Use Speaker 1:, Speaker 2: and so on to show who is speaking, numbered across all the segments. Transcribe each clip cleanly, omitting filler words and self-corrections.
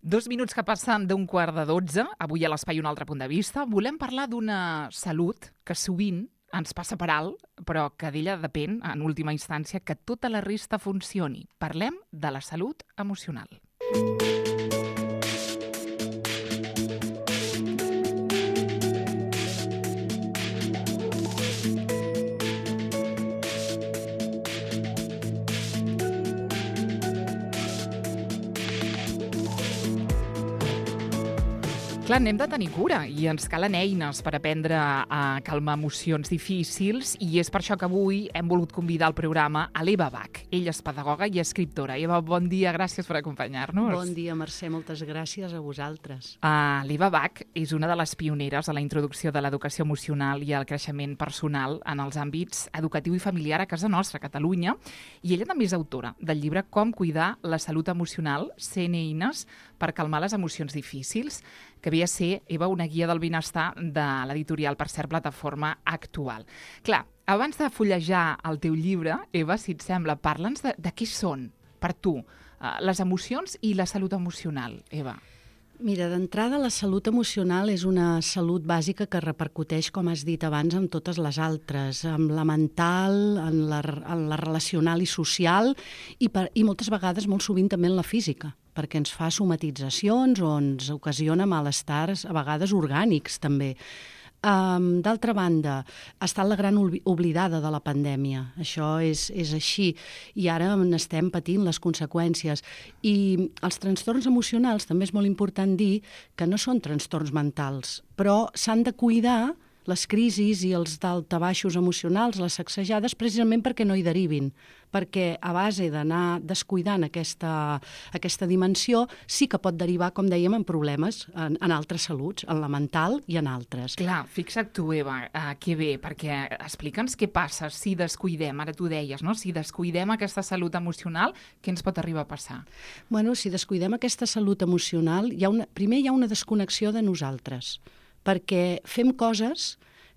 Speaker 1: 2 minuts que passen d'11:15, avui a l'Espai Un altre punt de vista, volem parlar d'una salut que sovint ens passa per alt, però que d'ella depèn, en última instància, que tota la resta funcioni. Parlem de la salut emocional. Clar, n'hem de tenir cura i ens calen eines per aprendre a calmar emocions difícils i és per això que avui hem volgut convidar al programa a l'Eva Bach. Ella és pedagoga i escriptora. Eva, bon dia, gràcies per acompanyar-nos.
Speaker 2: Bon dia, Mercè, moltes gràcies a vosaltres.
Speaker 1: L'Eva Bach és una de les pioneres a la introducció de l'educació emocional i el creixement personal en els àmbits educatiu i familiar a casa nostra, a Catalunya, i ella també és autora del llibre Com cuidar la salut emocional, 100 eines per calmar les emocions difícils, que ve a ser, Eva, una guia del benestar de l'editorial, per cert, Plataforma Actual. Clar, abans de fullejar el teu llibre, Eva, si et sembla, parla'ns de què són, per tu, les emocions i la salut emocional, Eva.
Speaker 2: Mira, d'entrada, la salut emocional és una salut bàsica que repercuteix, com has dit abans, en totes les altres, en la mental, en la relacional i social, i moltes vegades, molt sovint, també en la física, perquè ens fa somatitzacions o ens ocasiona malestars, a vegades orgànics, també. D'altra banda, ha estat la gran oblidada de la pandèmia. Això és així i ara n'estem patint les conseqüències. I els trastorns emocionals, també és molt important dir que no són trastorns mentals, però s'han de cuidar les crisis i els daltabaixos emocionals, les sacsejades, precisament perquè no hi derivin, perquè a base d'anar descuidant aquesta dimensió sí que pot derivar, com dèiem, en problemes en altres saluts, en la mental i en altres.
Speaker 1: Clar, fixa't tu, Eva, que bé, perquè explica'ns què passa si descuidem, ara tu deies, no? Si descuidem aquesta salut emocional, què ens pot arribar a passar?
Speaker 2: Bueno, si descuidem aquesta salut emocional, primer hi ha una desconnexió de nosaltres, perquè fem coses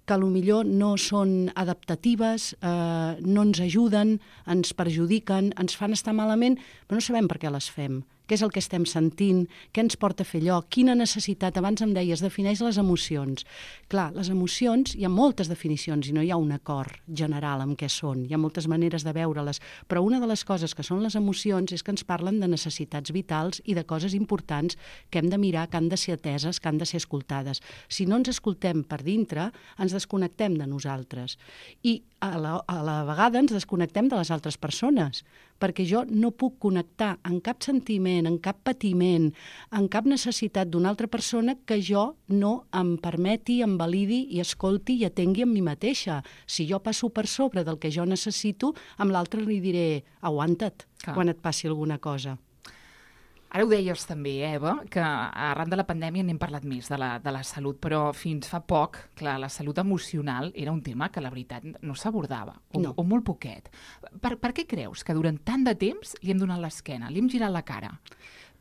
Speaker 2: que potser no són adaptatives, no ens ajuden, ens perjudiquen, ens fan estar malament, però no sabem per què les fem. Què és el que estem sentint? Què ens porta a fer allò? Quina necessitat? Abans em deies, defineix les emocions. Clar, les emocions, hi ha moltes definicions i no hi ha un acord general amb què són. Hi ha moltes maneres de veure-les, però una de les coses que són les emocions és que ens parlen de necessitats vitals i de coses importants que hem de mirar, que han de ser ateses, que han de ser escoltades. Si no ens escoltem per dintre, ens desconnectem de nosaltres. I a la vegada ens desconnectem de les altres persones, perquè jo no puc connectar en cap sentiment, en cap patiment, en cap necessitat d'una altra persona que jo no em permeti, em validi i escolti i atengui amb mi mateixa. Si jo passo per sobre del que jo necessito, amb l'altre li diré aguanta't quan et passi alguna cosa.
Speaker 1: Ara ho deies també, Eva, que arran de la pandèmia n'hem parlat més de la salut, però fins fa poc, clar, la salut emocional era un tema que la veritat no s'abordava, o molt poquet. Per què creus que durant tant de temps li hem donat l'esquena, li hem girat la cara?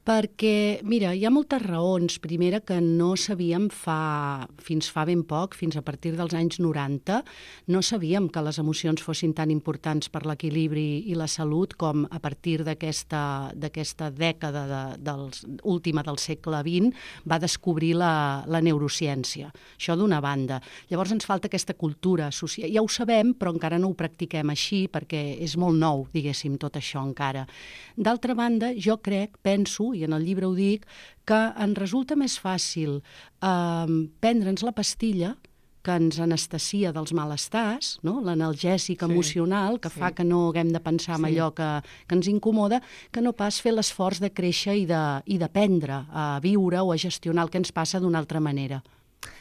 Speaker 2: Perquè, mira, hi ha moltes raons. Primera, que no sabíem fins fa ben poc, fins a partir dels anys 90, no sabíem que les emocions fossin tan importants per l'equilibri i la salut com a partir d'aquesta dècada última del segle XX va descobrir la neurociència. Això d'una banda. Llavors ens falta aquesta cultura social. Ja ho sabem, però encara no ho practiquem així perquè és molt nou, diguéssim, tot això encara. D'altra banda, jo penso, i en el llibre ho dic, que ens resulta més fàcil prendre'ns la pastilla que ens anestesia dels malestars, no? L'analgèsic emocional, que fa que no haguem de pensar en allò que ens incomoda, que no pas fer l'esforç de créixer i d'aprendre a viure o a gestionar el que ens passa d'una altra manera.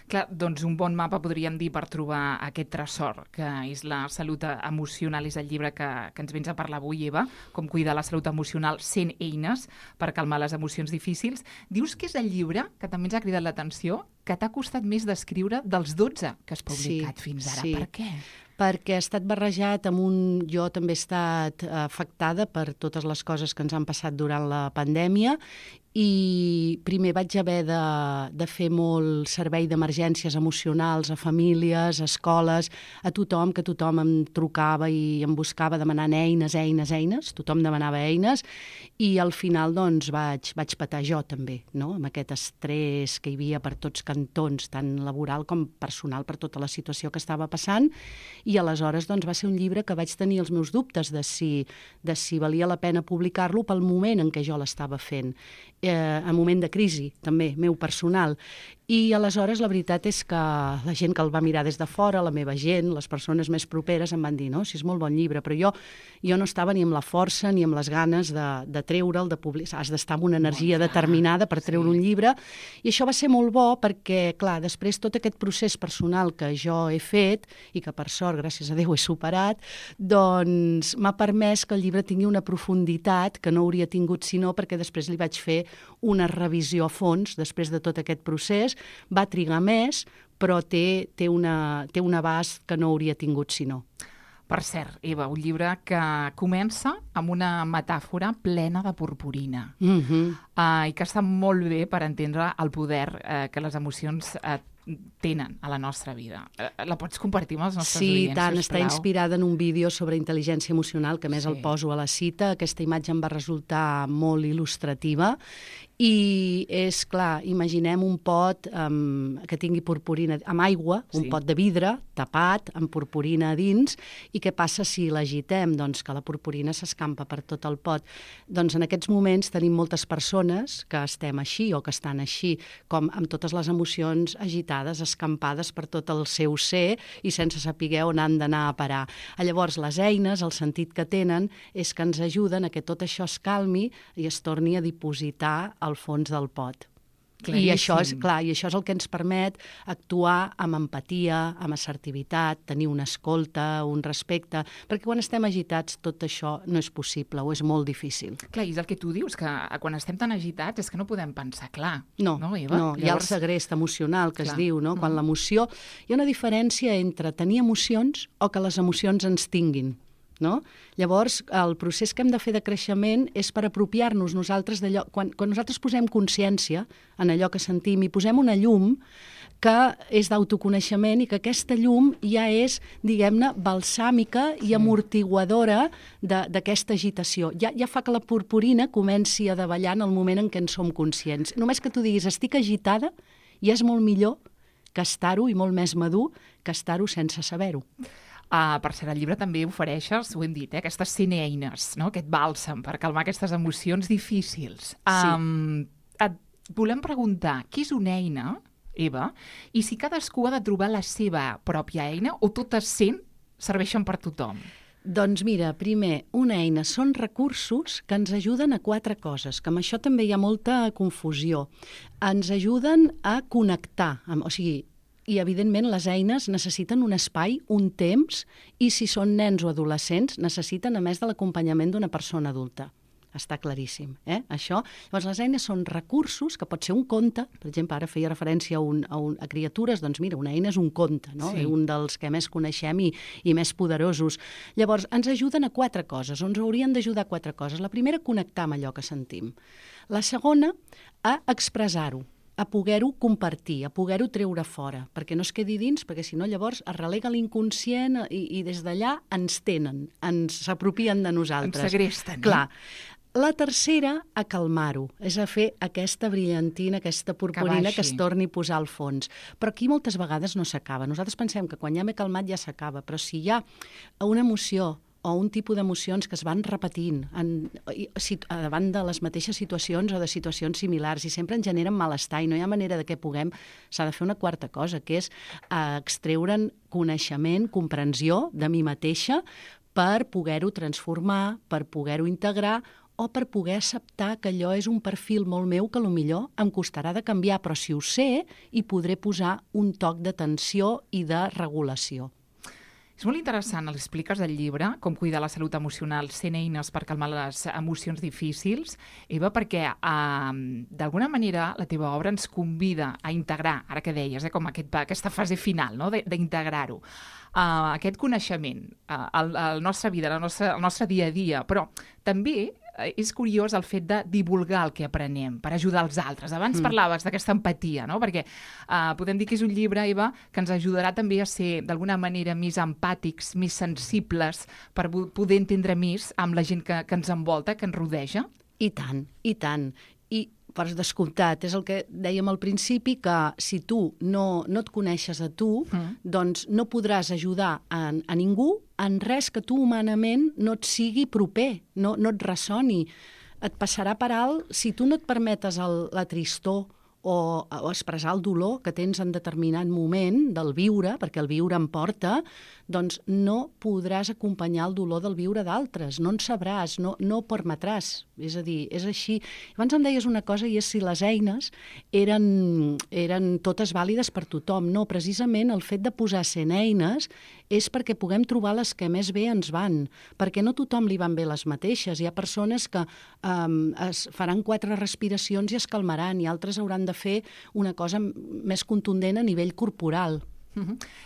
Speaker 1: Clar, doncs un bon mapa podríem dir per trobar aquest tresor, que és la salut emocional, és el llibre que ens vens a parlar avui, Eva, Com cuidar la salut emocional, 100 eines per calmar les emocions difícils. Dius que és el llibre que també ens ha cridat l'atenció, que t'ha costat més d'escriure dels 12 que has publicat fins ara. Per què?
Speaker 2: Perquè ha estat barrejat amb jo també he estat afectada per totes les coses que ens han passat durant la pandèmia i primer vaig haver de fer molt servei d'emergències emocionals a famílies, a escoles, a tothom, que tothom em trucava i em buscava demanant eines, tothom demanava eines, i al final doncs vaig patar jo també, no? Amb aquest estrès que hi havia per tots cantons, tant laboral com personal, per tota la situació que estava passant, i aleshores doncs va ser un llibre que vaig tenir els meus dubtes de si valia la pena publicar-lo pel moment en què jo l'estava fent. En moment de crisi, també, meu personal. I aleshores la veritat és que la gent que el va mirar des de fora, la meva gent, les persones més properes, em van dir, no, si és molt bon llibre, però jo no estava ni amb la força ni amb les ganes de treure'l, de publicar. Has d'estar amb una energia determinada per treure un llibre, i això va ser molt bo perquè, clar, després tot aquest procés personal que jo he fet, i que per sort, gràcies a Déu, he superat, doncs m'ha permès que el llibre tingui una profunditat que no hauria tingut sinó perquè després li vaig fer una revisió a fons després de tot aquest procés. Va trigar més, però té un abast que no hauria tingut si no.
Speaker 1: Per cert, Eva, un llibre que comença amb una metàfora plena de purpurina i que està molt bé per entendre el poder que les emocions tenen a la nostra vida. La pots compartir amb els nostres oients,
Speaker 2: Sí, tant.
Speaker 1: sisplau?
Speaker 2: Està inspirada en un vídeo sobre intel·ligència emocional, que a més el poso a la cita. Aquesta imatge em va resultar molt il·lustrativa. I és clar, imaginem un pot que tingui purpurina amb aigua, un pot de vidre tapat amb purpurina a dins, i què passa si l'agitem? Doncs que la purpurina s'escampa per tot el pot. Doncs en aquests moments tenim moltes persones que estem així o que estan així, com amb totes les emocions agitades, escampades per tot el seu ser i sense saber on han d'anar a parar. Llavors les eines, el sentit que tenen és que ens ajuden a que tot això es calmi i es torni a dipositar al fons del pot. I això és el que ens permet actuar amb empatia, amb assertivitat, tenir una escolta, un respecte, perquè quan estem agitats tot això no és possible o és molt difícil.
Speaker 1: Clar, i és el que tu dius, que quan estem tan agitats és que no podem pensar clar.
Speaker 2: No,
Speaker 1: Eva?
Speaker 2: Hi ha el segrest emocional que es diu, no? Quan l'emoció... Hi ha una diferència entre tenir emocions o que les emocions ens tinguin. No? Llavors, el procés que hem de fer de creixement és per apropiar-nos nosaltres d'allò. Quan nosaltres posem consciència en allò que sentim i posem una llum que és d'autoconeixement i que aquesta llum ja és, diguem-ne, balsàmica i amortiguadora d'aquesta agitació. Ja fa que la purpurina comenci a davallar en el moment en què en som conscients. Només que tu diguis, estic agitada, ja és molt millor que estar-ho i molt més madur que estar-ho sense saber-ho.
Speaker 1: Per cert, el llibre també ofereixes, ho hem dit, aquestes 100 eines, no? Aquest bàlsam per calmar aquestes emocions difícils. Et volem preguntar, què és una eina, Eva, i si cadascú ha de trobar la seva pròpia eina o totes 100 serveixen per tothom?
Speaker 2: Doncs mira, primer, una eina són recursos que ens ajuden a 4 coses, que amb això també hi ha molta confusió. Ens ajuden a connectar, i, evidentment, les eines necessiten un espai, un temps, i si són nens o adolescents, necessiten, a més de l'acompanyament d'una persona adulta. Està claríssim, això. Llavors, les eines són recursos, que pot ser un conte, per exemple, ara feia referència a criatures, doncs mira, una eina és un conte, no? Un dels que més coneixem i més poderosos. Llavors, ens ajuden a 4 coses, o ens haurien d'ajudar a 4 coses. La primera, connectar amb allò que sentim. La segona, a expressar-ho, a poder-ho compartir, a poder-ho treure fora, perquè no es quedi dins, perquè si no llavors es relega l'inconscient i des d'allà ens tenen, s'apropien de nosaltres.
Speaker 1: Ens segresten.
Speaker 2: Clar. La tercera, a calmar-ho, és a fer aquesta brillantina, aquesta purpurina que es torni a posar al fons. Però aquí moltes vegades no s'acaba. Nosaltres pensem que quan ja m'he calmat ja s'acaba, però si hi ha una emoció o un tipus d'emocions que es van repetint davant de les mateixes situacions o de situacions similars i sempre ens generen malestar i no hi ha manera de que puguem, s'ha de fer una quarta cosa, que és extreure'n coneixement, comprensió de mi mateixa per poder-ho transformar, per poder-ho integrar o per poder acceptar que allò és un perfil molt meu que potser em costarà de canviar, però si ho sé, hi podré posar un toc d'atenció i de regulació.
Speaker 1: És molt interessant, l'expliques del llibre, com cuidar la salut emocional, 100 eines per calmar les emocions difícils, Eva, perquè d'alguna manera la teva obra ens convida a integrar, ara que deies, com aquesta fase final, no? D'integrar-ho, aquest coneixement, a la nostra vida, al nostre dia a dia, però també és curiós el fet de divulgar el que aprenem per ajudar els altres. Abans parlaves d'aquesta empatia, no? Perquè podem dir que és un llibre, Eva, que ens ajudarà també a ser, d'alguna manera, més empàtics, més sensibles, per poder entendre més amb la gent que ens envolta, que ens rodeja.
Speaker 2: I tant, i tant. I per descomptat, és el que dèiem al principi, que si tu no et coneixes a tu, doncs no podràs ajudar a ningú en res que tu humanament no et sigui proper, no et ressoni. Et passarà per alt si tu no et permetes la tristor o expressar el dolor que tens en determinat moment del viure, perquè el viure em porta, doncs no podràs acompanyar el dolor del viure d'altres, no en sabràs, no ho permetràs. És a dir, és així. Abans em deies una cosa, i és si les eines eren totes vàlides per tothom. No, precisament el fet de posar 100 eines és perquè puguem trobar les que més bé ens van, perquè no tothom li van bé les mateixes. Hi ha persones que es faran 4 respiracions i es calmaran, i altres hauran de fer una cosa més contundent a nivell corporal.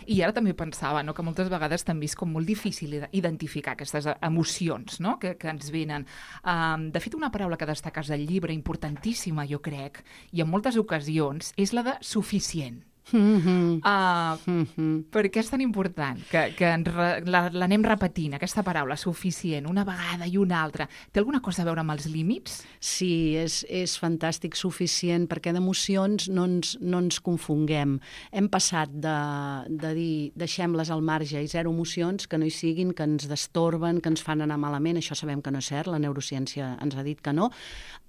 Speaker 1: I ara també pensava, no?, que moltes vegades també és com molt difícil identificar aquestes emocions, no?, que ens venen. De fet, una paraula que destaques al llibre, importantíssima, jo crec, i en moltes ocasions, és la de suficient. Per què és tan important que l'anem repetint, aquesta paraula, suficient, una vegada i una altra? Té alguna cosa a veure amb els límits?
Speaker 2: Sí, és fantàstic, suficient, perquè d'emocions no ens confonguem. Hem passat de dir deixem-les al marge i 0 emocions, que no hi siguin, que ens destorben, que ens fan anar malament, això sabem que no és cert, la neurociència ens ha dit que no,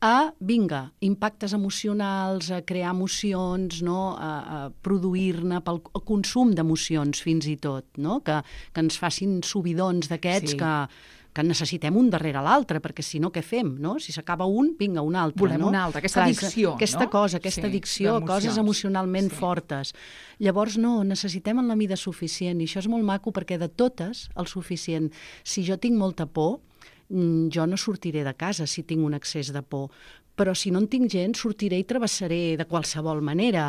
Speaker 2: a, vinga, impactes emocionals, a crear emocions, no?, a produir-ne pel consum d'emocions fins i tot, no?, que ens facin subidons d'aquests que necessitem un darrere l'altre, perquè si no, què fem, no? Si s'acaba un, vinga, un altre.
Speaker 1: Volem un altre, aquesta addicció, no?
Speaker 2: Aquesta addicció, coses emocionalment fortes. Llavors, no, necessitem en la mida suficient, i això és molt maco, perquè de totes, el suficient. Si jo tinc molta por, jo no sortiré de casa si tinc un excés de por, però si no en tinc gens, sortiré i travessaré de qualsevol manera.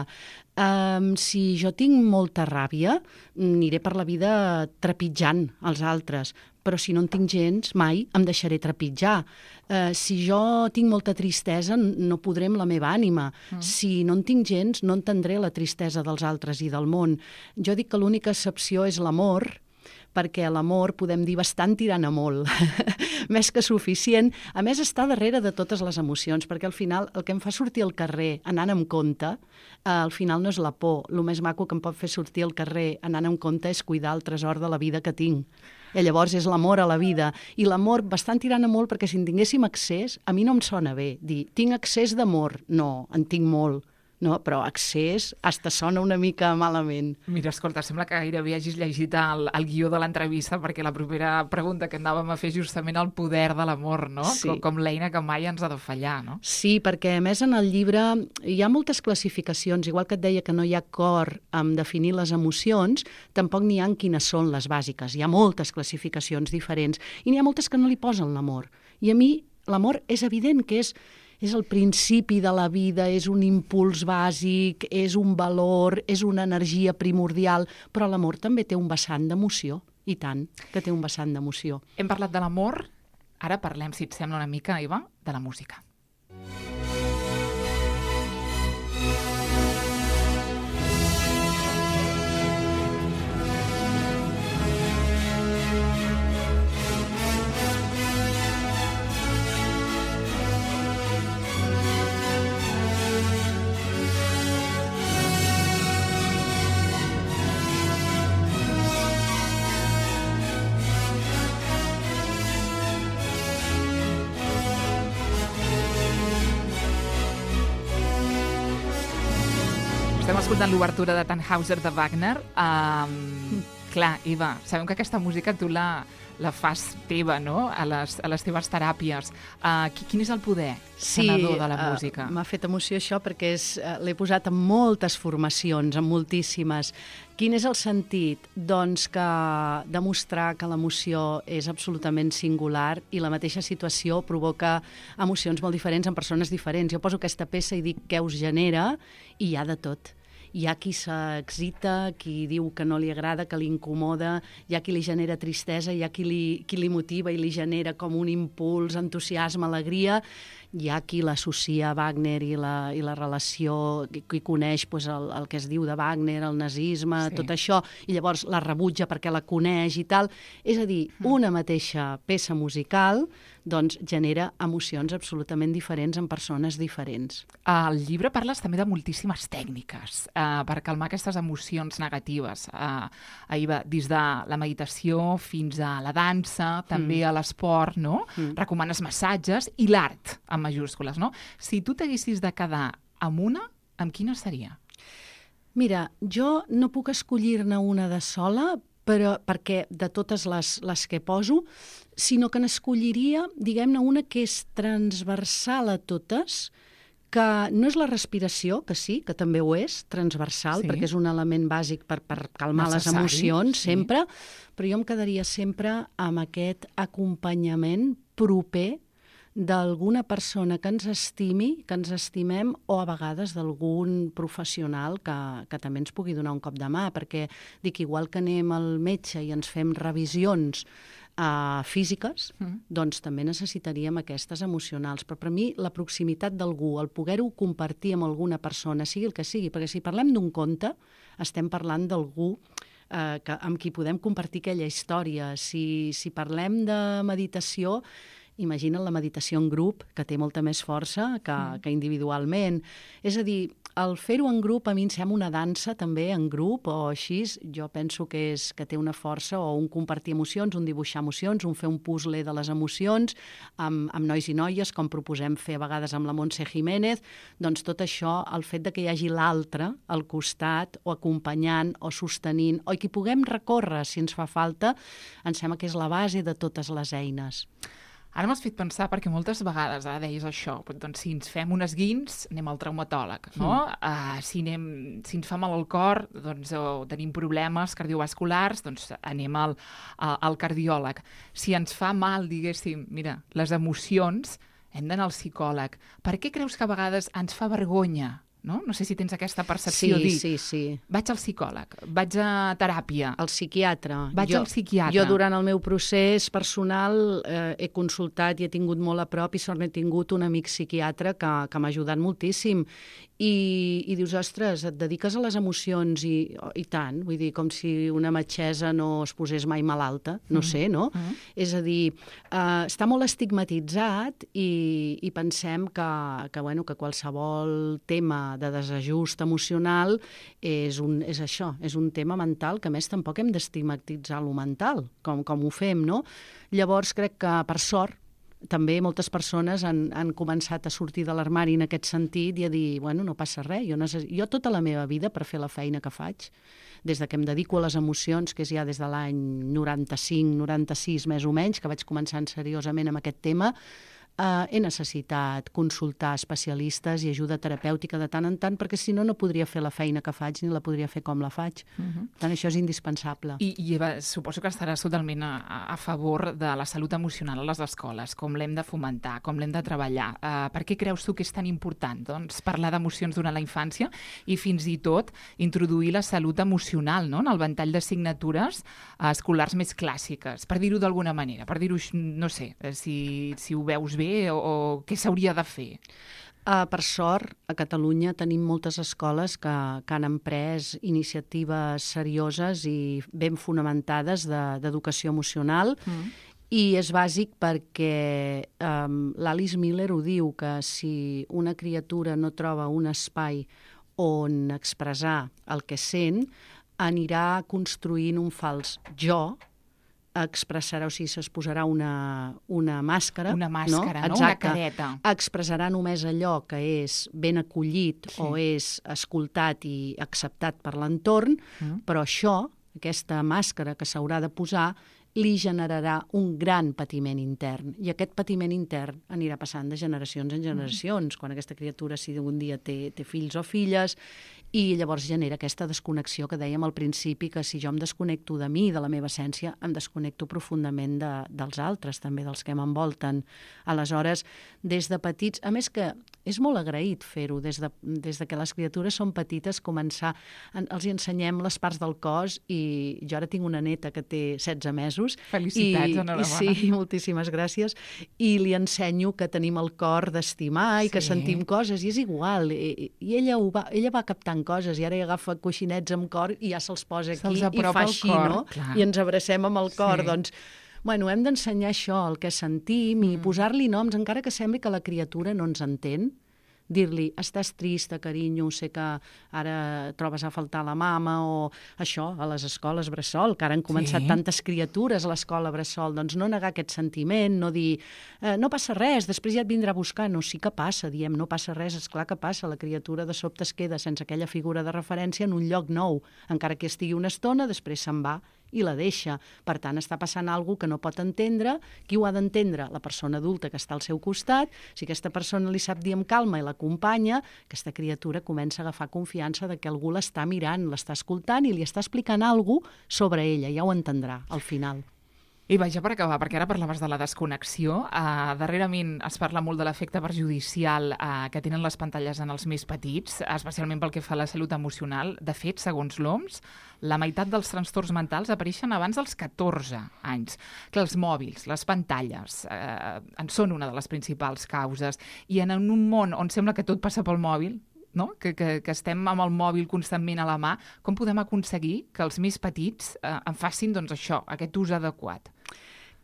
Speaker 2: Si jo tinc molta ràbia, aniré per la vida trepitjant els altres, però si no en tinc gens, mai em deixaré trepitjar. Si jo tinc molta tristesa, no podré amb la meva ànima. Si no en tinc gens, no entendré la tristesa dels altres i del món. Jo dic que l'única excepció és l'amor, perquè l'amor podem dir bastant tirant a molt, més que suficient. A més, està darrere de totes les emocions, perquè al final el que em fa sortir al carrer anant amb compte, al final no és la por. El més maco que em pot fer sortir al carrer anant amb compte és cuidar el tresor de la vida que tinc. I llavors és l'amor a la vida. I l'amor bastant tirant a molt, perquè si en tinguéssim accés, a mi no em sona bé dir, tinc accés d'amor. No, en tinc molt. No, però accés hasta sona una mica malament.
Speaker 1: Mira, escolta, sembla que gairebé hagis llegit el guió de l'entrevista, perquè la propera pregunta que anàvem a fer justament el poder de l'amor, no?
Speaker 2: Sí.
Speaker 1: Com l'eina que mai ens ha de fallar, no?
Speaker 2: Sí, perquè a més en el llibre hi ha moltes classificacions, igual que et deia que no hi ha acord en definir les emocions, tampoc n'hi ha en quines són les bàsiques. Hi ha moltes classificacions diferents i n'hi ha moltes que no li posen l'amor. I a mi l'amor és evident que és el principi de la vida, és un impuls bàsic, és un valor, és una energia primordial, però l'amor també té un vessant d'emoció, i tant que té un vessant d'emoció.
Speaker 1: Hem parlat de l'amor, ara parlem, si et sembla una mica, Eva, de la música. Estem escoltant l'obertura de Tannhäuser de Wagner. Clar, Eva, sabem que aquesta música tu la fas teva, no?, a les teves teràpies. Quin és el poder sanador de la música?
Speaker 2: M'ha fet emoció això perquè l'he posat en moltes formacions, en moltíssimes. Quin és el sentit? Doncs que demostrar que l'emoció és absolutament singular i la mateixa situació provoca emocions molt diferents en persones diferents. Jo poso aquesta peça i dic què us genera i hi ha de tot. Hi ha qui s'excita, qui diu que no li agrada, que li incomoda, hi ha qui li genera tristesa, hi ha qui li motiva i li genera com un impuls, entusiasme, alegria. Hi ha qui l'associa a Wagner i la relació, qui coneix doncs, el que es diu de Wagner, el nazisme, tot això, i llavors la rebutja perquè la coneix i tal. És a dir, una mateixa peça musical doncs, genera emocions absolutament diferents en persones diferents.
Speaker 1: Al llibre parles també de moltíssimes tècniques per calmar aquestes emocions negatives. Ahir va des de la meditació fins a la dansa, també a l'esport, no? Recomanes massatges i l'art, amb majúscules, no? Si tu t'haguessis de quedar amb una, amb quina seria?
Speaker 2: Mira, jo no puc escollir-ne una de sola, però perquè de totes les que poso, sinó que n'escolliria, diguem-ne, una que és transversal a totes, que no és la respiració, que sí, que també ho és, transversal, perquè és un element bàsic per calmar les emocions, sempre, però jo em quedaria sempre amb aquest acompanyament proper d'alguna persona que ens estimi, que ens estimem, o a vegades d'algun professional que també ens pugui donar un cop de mà, perquè dic, igual que anem al metge i ens fem revisions físiques, doncs també necessitaríem aquestes emocionals. Però per mi la proximitat d'algú, el poder-ho compartir amb alguna persona, sigui el que sigui, perquè si parlem d'un conte, estem parlant d'algú amb qui podem compartir aquella història. Si parlem de meditació, imagina't la meditació en grup, que té molta més força que individualment. És a dir, el fer-ho en grup a mi em sembla una dansa també en grup o així, jo penso que té una força, o un compartir emocions, un dibuixar emocions, un fer un puzzle de les emocions amb nois i noies, com proposem fer a vegades amb la Montse Jiménez. Doncs tot això, el fet de que hi hagi l'altre al costat, o acompanyant, o sostenint, o que hi puguem recórrer si ens fa falta, em sembla que és la base de totes les eines.
Speaker 1: Ara m'has fet pensar, perquè moltes vegades deies això, doncs si ens fem un esguins, anem al traumatòleg, no? Si ens fa mal el cor, doncs, o tenim problemes cardiovasculars, doncs anem al cardiòleg. Si ens fa mal, diguéssim, mira, les emocions, hem d'anar al psicòleg. Per què creus que a vegades ens fa vergonya? No sé si tens aquesta percepció.
Speaker 2: Sí.
Speaker 1: Vaig al psicòleg, vaig a teràpia.
Speaker 2: Al psiquiatre.
Speaker 1: Vaig al psiquiatre.
Speaker 2: Jo durant el meu procés personal he consultat i he tingut molt a prop, i sort n'he tingut un amic psiquiatre que m'ha ajudat moltíssim. I dius, ostres, et dediques a les emocions i tant, vull dir, com si una metgessa no es posés mai malalta, no sé, no? És a dir, està molt estigmatitzat i pensem que qualsevol tema de desajust emocional és això, és un tema mental, que a més tampoc hem d'estigmatitzar lo mental, com ho fem, no? Llavors crec que, per sort, també moltes persones han començat a sortir de l'armari en aquest sentit i a dir, bueno, no passa res, jo tota la meva vida, per fer la feina que faig, des de que em dedico a les emocions, que és ja des de l'any 95-96 més o menys, que vaig començar seriosament amb aquest tema, he necessitat consultar especialistes i ajuda terapèutica de tant en tant, perquè si no, no podria fer la feina que faig ni la podria fer com la faig. Per tant, això és indispensable.
Speaker 1: I Eva, suposo que estaràs totalment a favor de la salut emocional a les escoles, com l'hem de fomentar, com l'hem de treballar. Per què creus tu que és tan important parlar d'emocions durant la infància i fins i tot introduir la salut emocional en el ventall d'assignatures escolars més clàssiques, per dir-ho d'alguna manera, per dir-ho, no sé, si ho veus bé o què s'hauria de fer?
Speaker 2: Per sort, a Catalunya tenim moltes escoles que han emprès iniciatives serioses i ben fonamentades d'educació emocional, i és bàsic perquè l'Alice Miller ho diu, que si una criatura no troba un espai on expressar el que sent, anirà construint un fals jo, expressarà, o sigui, es posarà una màscara.
Speaker 1: Una màscara, no?
Speaker 2: Exacte.
Speaker 1: Una careta.
Speaker 2: Expressarà només allò que és ben acollit o és escoltat i acceptat per l'entorn, però això, aquesta màscara que s'haurà de posar, li generarà un gran patiment intern. I aquest patiment intern anirà passant de generacions en generacions, quan aquesta criatura, si un dia té fills o filles, i llavors genera aquesta desconnexió que dèiem al principi, que si jo em desconnecto de mi, de la meva essència, em desconnecto profundament dels altres, també dels que m'envolten. Aleshores, des de petits, a més que és molt agraït fer-ho, des de que les criatures són petites, començar, els hi ensenyem les parts del cos, i jo ara tinc una neta que té 16 mesos.
Speaker 1: Felicitats, enhorabona.
Speaker 2: Sí, moltíssimes gràcies. I li ensenyo que tenim el cor d'estimar i que sentim coses, i és igual. I ella va captant coses, i ara agafa coixinets amb cor i ja se'ls posa aquí i fa així, no? I ens abracem amb el cor. Doncs, bueno, hem d'ensenyar això, el que sentim, i posar-li noms, encara que sembli que la criatura no ens entén. Dir-li, estàs trista, carinyo, sé que ara trobes a faltar la mama, o això, a les escoles bressol, que ara han començat tantes criatures a l'escola bressol, doncs no negar aquest sentiment, no dir, no passa res, després ja et vindrà a buscar. No, sí que passa, diem, no passa res, esclar que passa, la criatura de sobte es queda sense aquella figura de referència en un lloc nou, encara que estigui una estona, després se'n va i la deixa. Per tant, està passant alguna cosa que no pot entendre. Qui ho ha d'entendre? La persona adulta que està al seu costat. Si aquesta persona li sap dir amb calma i l'acompanya, aquesta criatura comença a agafar confiança de que algú l'està mirant, l'està escoltant i li està explicant alguna cosa sobre ella. Ja ho entendrà, al final.
Speaker 1: I vaja, per acabar, perquè ara parlaves de la desconnexió, darrerament es parla molt de l'efecte perjudicial que tenen les pantalles en els més petits, especialment pel que fa a la salut emocional. De fet, segons l'OMS, la meitat dels trastorns mentals apareixen abans dels 14 anys. Que els mòbils, les pantalles, en són una de les principals causes, i en un món on sembla que tot passa pel mòbil, no? Que estem amb el mòbil constantment a la mà, com podem aconseguir que els més petits en facin, doncs, això, aquest ús adequat?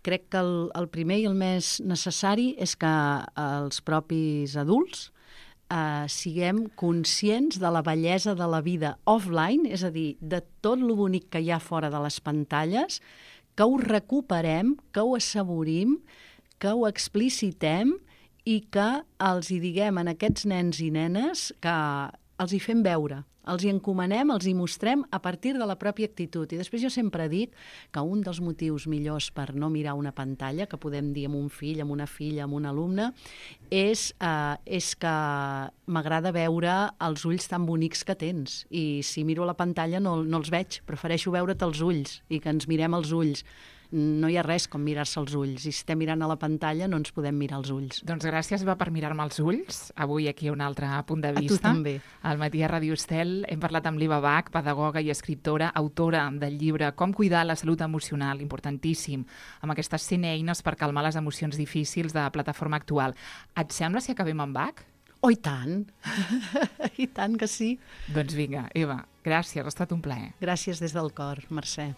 Speaker 2: Crec que el primer i el més necessari és que els propis adults siguem conscients de la bellesa de la vida offline, és a dir, de tot lo bonic que hi ha fora de les pantalles, que ho recuperem, que ho assaborim, que ho explicitem, i que els hi diguem a aquests nens i nenes que els hi fem veure, els hi encomanem, els hi mostrem a partir de la pròpia actitud. I després jo sempre dic que un dels motius millors per no mirar una pantalla, que podem dir amb un fill, amb una filla, amb un alumne, és que m'agrada veure els ulls tan bonics que tens. I si miro la pantalla no els veig, prefereixo veure't els ulls i que ens mirem els ulls. No hi ha res com mirar-se els ulls. I si estem mirant a la pantalla no ens podem mirar els ulls.
Speaker 1: Doncs gràcies, per mirar-me els ulls. Avui aquí un altre punt de vista.
Speaker 2: A tu també.
Speaker 1: Al matí a Ràdio Estel hem parlat amb l'Iva Bach, pedagoga i escriptora, autora del llibre Com cuidar la salut emocional, importantíssim, amb aquestes 100 eines per calmar les emocions difícils de la plataforma actual. Et sembla si acabem amb Bach?
Speaker 2: Oh, i tant! I tant que sí.
Speaker 1: Doncs vinga, Eva, gràcies, ha estat un plaer.
Speaker 2: Gràcies des del cor, Mercè.